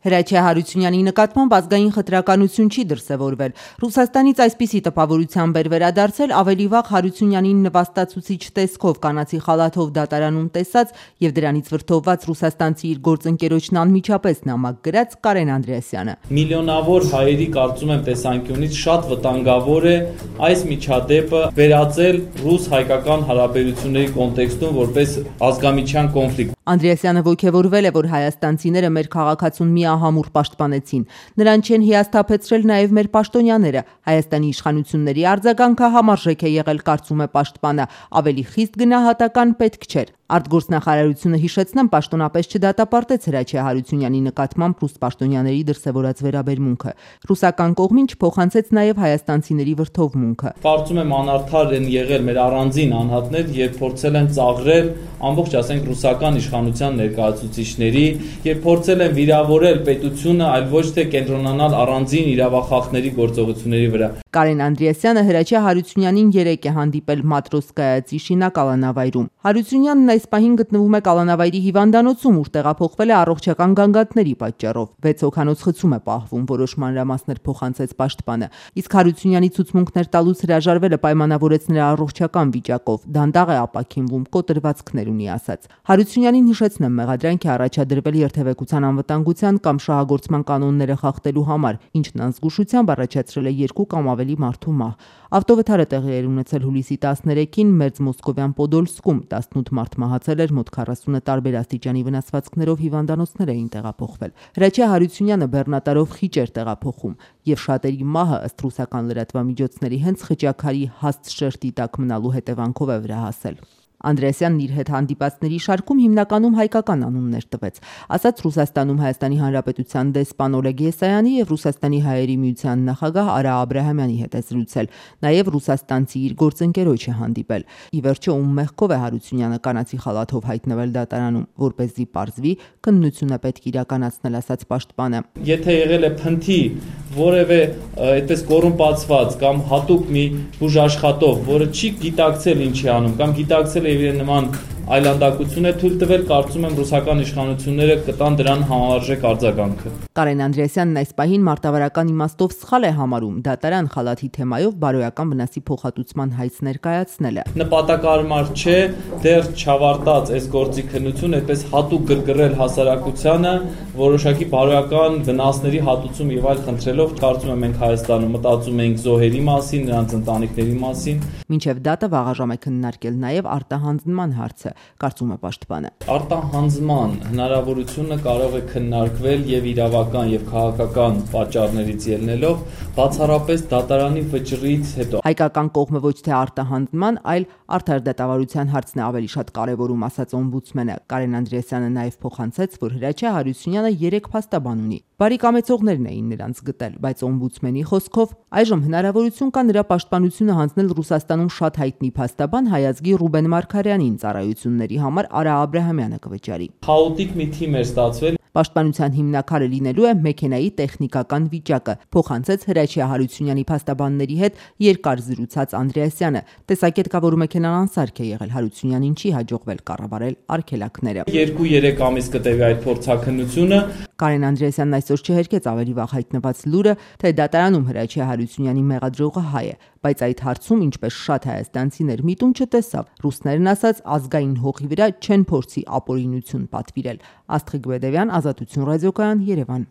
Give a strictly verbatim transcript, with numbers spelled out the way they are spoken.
Հրաչյա Հարությունյանի նկատմամբ ազգային խտրականություն չի դրսևորվել։ Ռուսաստանից այսպիսի տպավորությամբ էր վերադարձել ավելի վաղ Հարությունյանին նվաստացուցիչ տեսքով կանացի խալաթով դատարանում տեսած եւ դրանից վրդովված ռուսաստանցի իր գործընկերոջն անմիջապես նամակ գրած Կարեն Անդրեասյանը։ Միլիոնավոր հայերի կարծում եմ տեսանկյունից շատ վտանգավոր է այս միջադեպը վերածել ռուս-հայկական հարաբերությունների կոնտեքստում որպես ազգամիջյան կոնֆլիկտ։ Անդրեասյանը ոգևորվել է, որ հայաստանցիները մեր քաղաքացուն միահամուռ պաշտպանեցին։ Նրան չեն հիասթափեցրել նաև մեր պաշտոնյաները։ Հայաստանի իշխանությունների արձագանքը համարժեք է եղել, կարծում է պաշտպանը, ավելի խիստ գնահատական պետք չէր։ Արտգործնախարարությունը հիշեցնեմ պաշտոնապես չդատապարտեց Հրաչյա Հարությունյանի նկատմամբ ռուս պաշտոնյաների դրսևորած վերաբերմունքը։ Ռուսական կողմին չփոխանցեց նաև հայաստանցիների վրդովմունքը։ Կարծում եմ անարդար են եղել մեր առանձին անհատներ, երբ փորձել են ծաղրել ամբողջ ասենք ռուսական իշխանության ներկայացուցիչների եւ փորձել են վիրավորել պետությունը, այլ ոչ թե կենտրոնանալ առանձին իրավախախների գործողությունների վրա։ Կարեն Անդրեասյանը Հրաչյա Հարությունյանին երեկ է հանդիպել Մատրոսկայա Ծիշինա կալանավայրում։ Հարությունյանն այս պահին գտնվում է կալանավայրի հիվանդանոցում, ուր տեղափոխվել է առողջական գանգատների պատճառով։ վեց հոգանոց խցում է պահվում, որոշ մանրամասներ փոխանցեց պաշտպանը։ Իսկ Հարությունյանի ցուցմունքներ տալուց հրաժարվելը պայմանավորեց նրա առողջական վիճակով։ Դանդաղ է ապաքինվում, կոտրվածքներ ունի ասաց։ Հարությունյանին հիշեցնեմ, մեղադրանք է առաջադրվել երթևեկության անվտանգության կամ շահագործման կանոնները խախտելու համար, ինչն անզգուշությամբ առաջացրել է երկու կամ ավելի մարդու մահ։ Ավտովթարը տեղի էր ունեցել հուլիսի տասներեքին Մերձ Մոսկովյան Պոդոլսկում, տասնութ մարդ մահացել էր, մոտ քառասունը տարբեր աստիճանի վնասվածքներով հիվանդանոցներ էին տեղափոխվել։ Հրաչյա Հարությունյանը բեռնատարով խիճ էր տեղափոխում, եւ շատերի մահը ըստ ռուսական լրատվամիջոցների հենց խճաքարի հաստ շերտի տակ մնալու հետևանքով է վրա հասել։ Անդրեասյանն իր հետ հանդիպածների շարքում հիմնականում հայկական անուններ տվեց։ Ասաց Ռուսաստանում Հայաստանի Հանրապետության դեսպան Օլեգ Եսայանի եւ Ռուսաստանի հայերի միության նախագահ Արա Աբրահամյանի հետ է զրուցել։ Նաեւ ռուսաստանցի իր գործընկերոջ է հանդիպել։ Ի վերջո ում մեղքով է Հարությունյանը կանացի խալաթով հայտնվել դատարանում, որպեսզի պարզվի, քննություն է պետք իրականացնել, ասաց պաշտպանը։ Եթե եղել է փնթի որևէ այդպես կոռումպացված կամ հատուկ մի բուժաշխատող, որը չի գիտակցել ինչ է անում կամ գիտակցել եւ իր նման այլանդակություն է թույլ տվել, կարծում եմ ռուսական իշխանությունները կտան դրան համարժեք արձագանքը։ Կարեն Անդրեասյանն այս պահին մարտավարական իմաստով սխալ է համարում դատարան խալաթի թեմայով բարոյական վնասի փոխհատուցման հայց ներկայացնելը։ Նպատակարար չէ դեռ չավարտած այս գործի քննությունը այդպես հատուկ գրգռել հասարակությանը որոշակի բարոյական վնասների հատուցում եւ այլ խնդրելով, կարծում եմ մենք Հայաստանում մտածում ենք զոհերի մասին, նրանց ընտանիքների մասին։ Մինչև դատը վաղաժամ է քննարկել նաեւ արտահանձնման հարցը, կարծում է պաշտպանը։ Արտահանձնման հնարավորությունը կարող է քննարկվել եւ իրավական եւ քաղաքական պատճառներից ելնելով բացառապես դատարանի վճռից հետո։ Հայկական կողմը ոչ թե արտահանձնման, այլ արդար դատավարության հարցն է ավելի շատ կարևորում, ասաց օմբուդսմենը։ Կարեն Անդրեասյանը նաեւ փոխանցեց, որ Հրաչյա Հարությունյանը երեք փաստաբան ունի։ Բարի կամեցողներն էին նրանց գտել, բայց օմբուդսմենի խոսքով այժմ հնարավորություն կա նրա պաշտպանությունը հանձնել Ռուսաստանում շատ հայտնի փաստաբան հայազգի Ռուբեն Մարգարյանին, ծառայությունների համար Արա Աբրահամյանը կվճարի։ Խաոտիկ մի թիմ էր ստացվել։ Պաշտպանության հիմնակարը լինելու է մեքենայի տեխնիկական վիճակը, փոխանցեց Հրաչյա Հարությունյանի փաստաբանների հետ երկար զրուցած Անդրեասյանը։ Տեսակետ կա, որ մեքենան անսարք է եղել, Հարությունյանին չի հաջողվել կառավարել արգելակները։ երկու-երեք ամիս կտևի այդ փորձաքննությունը։ Կարեն Անդրեասյանն այսօր չհերքեց ավելի վաղ հայտնված լուրը, թե դատարանում Հրաչյա Հարությունյանի մեղադրողը հայ է, բայց այդ հարցում, ինչպես շատ հայաստանցիներ միտում չտեսավ, ռուսներն ասած ազգային հողի վրա չեն փորձի ապօրինություն պատվիրել։ Աստղիկ Բեդևյան, Ազատություն ռադիոկայան, Երևան։